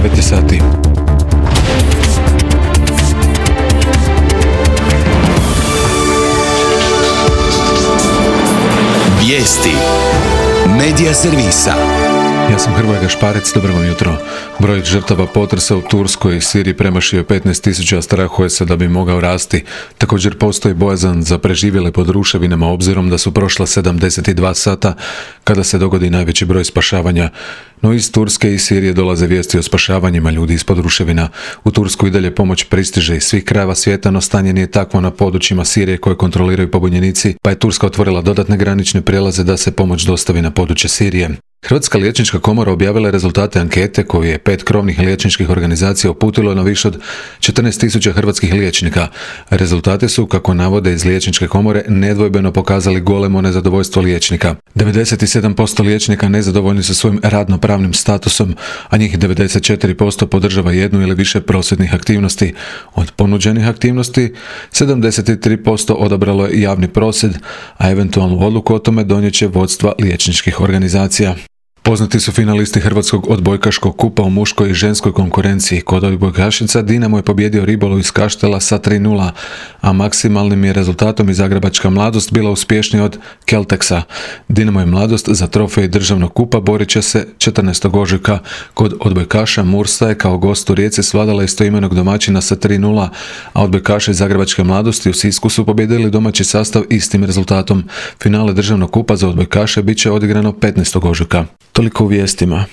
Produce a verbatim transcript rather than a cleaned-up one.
devet sati. Vijesti Medija servisa. Ja sam Hrvoje Gašparec, dobro vam jutro. Broj žrtava potresa u Turskoj i Siriji premašio petnaest tisuća, a strahuje se da bi mogao rasti. Također postoji bojazan za preživjele pod ruševinama, obzirom da su prošla sedamdeset dva sata kada se dogodi najveći broj spašavanja. No iz Turske i Sirije dolaze vijesti o spašavanjima ljudi ispod ruševina. U Tursku i dalje pomoć pristiže iz svih krajeva svijeta, no stanje nije takvo na područjima Sirije koje kontroliraju pobunjenici, pa je Turska otvorila dodatne granične prijelaze da se pomoć dostavi na područje Sirije. Hrvatska liječnička komora objavila je rezultate ankete koju je pet krovnih liječničkih organizacija uputilo na više od četrnaest tisuća hrvatskih liječnika. Rezultati su, kako navode iz liječničke komore, nedvojbeno pokazali golemo nezadovoljstvo liječnika. devedeset sedam posto liječnika nezadovoljni su svojim radno-pravnim statusom, a njih devedeset četiri posto podržava jednu ili više prosvjednih aktivnosti. Od ponuđenih aktivnosti sedamdeset tri posto odabralo je javni prosvjed, a eventualnu odluku o tome donijet će vodstva liječničkih organizacija. Poznati su finalisti Hrvatskog odbojkaškog kupa u muškoj i ženskoj konkurenciji. Kod odbojkašica Dinamo je pobijedio Ribolov iz Kaštela sa tri nula, a maksimalnim je rezultatom i Zagrebačka Mladost bila uspješnija od Kelteksa. Dinamo i Mladost za trofej državnog kupa borit će se četrnaestog ožujka. Kod odbojkaša Mursa je kao gost u Rijeci svladala istoimenog domaćina sa tri nula, a odbojkaši Zagrebačke Mladosti u Sisku su pobijedili domaći sastav istim rezultatom. Finale državnog kupa za odbojkaše bit će odigrano petnaestog ožujka. Toliko u vijestima.